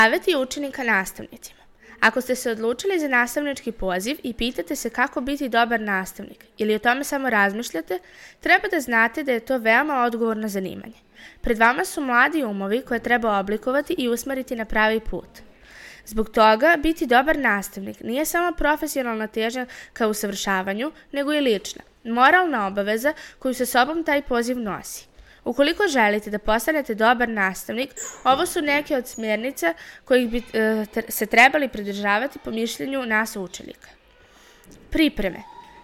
Saveti učenika nastavnicima. Ako ste se odlučili za nastavnički poziv i pitate se kako biti dobar nastavnik ili o tome samo razmišljate, treba da znate da je to veoma odgovorno zanimanje. Pred vama su mladi umovi koje treba oblikovati i usmeriti na pravi put. Zbog toga, biti dobar nastavnik nije samo profesionalna težnja ka usavršavanju, nego i lična, moralna obaveza koju sa sobom taj poziv nosi. Ukoliko želite da postanete dobar nastavnik, ovo su neke od smjernica kojih bi se trebali pridržavati po mišljenju nas učenika. Pripreme.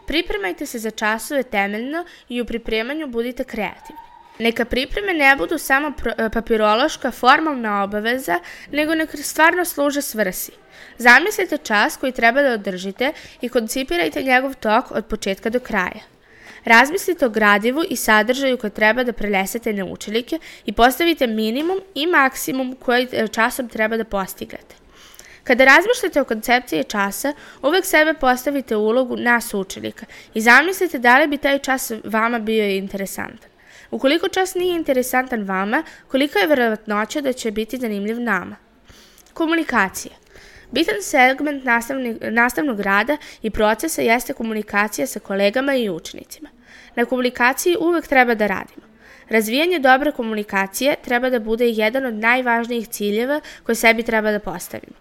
Pripremajte se za časove temeljno i u pripremanju budite kreativni. Neka pripreme ne budu samo papirološka formalna obaveza, nego neka stvarno služe svrsi. Zamislite čas koji treba da održite i koncipirajte njegov tok od početka do kraja. Razmislite o gradivu i sadržaju koje treba da prenesete na učenike i postavite minimum i maksimum koji časom treba da postignete. Kada razmišljate o koncepciji časa, uvek sebe postavite u ulogu nas učenika i zamislite da li bi taj čas vama bio interesantan. Ukoliko čas nije interesantan vama, kolika je verovatnoća da će biti zanimljiv nama? Komunikacija. Bitan segment nastavnog rada i procesa jeste komunikacija sa kolegama i učenicima. Na komunikaciji uvek treba da radimo. Razvijanje dobre komunikacije treba da bude jedan od najvažnijih ciljeva koje sebi treba da postavimo.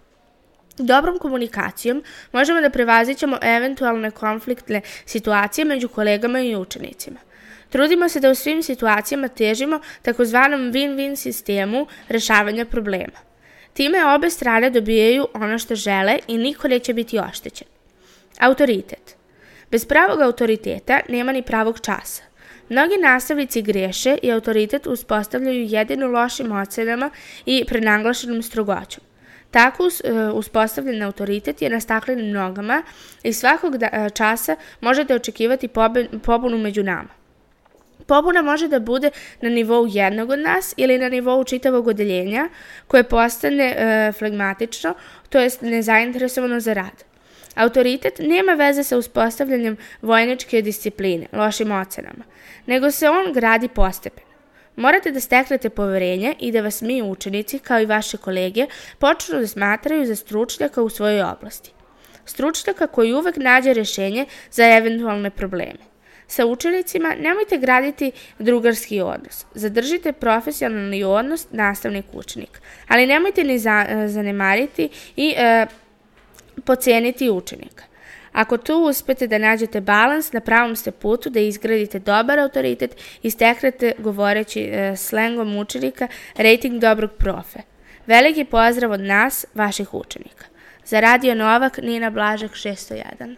Dobrom komunikacijom možemo da prevaziđemo eventualne konfliktne situacije među kolegama i učenicima. Trudimo se da u svim situacijama težimo takozvanom win-win sistemu rešavanja problema. Time obe strane dobijaju ono što žele i niko neće biti oštećen. Autoritet. Bez pravog autoriteta nema ni pravog časa. Mnogi nastavnici greše i autoritet uspostavljaju jedino lošim ocenama i prenaglašenom strogoćom. Tako uspostavljen autoritet je na staklenim nogama i svakog časa možete očekivati pobunu među nama. Pobuna može da bude na nivou jednog od nas ili na nivou čitavog odeljenja koje postane flegmatično, to jest nezainteresovano za rad. Autoritet nema veze sa uspostavljanjem vojničke discipline, lošim ocenama, nego se on gradi postepeno. Morate da steknete poverenje i da vas mi učenici, kao i vaše kolege, počnu da smatraju za stručnjaka u svojoj oblasti. Stručnjaka koji uvek nađe rešenje za eventualne probleme. Sa učenicima nemojte graditi drugarski odnos. Zadržite profesionalni odnos nastavnik-učenik, ali nemojte ni zanemariti i poceniti učenika. Ako tu uspete da nađete balans, na pravom ste putu da izgradite dobar autoritet i steknete, govoreći slengom učenika, rating dobrog profe. Veliki pozdrav od nas, vaših učenika. Za Radio Novak, Nina Blažek, 601.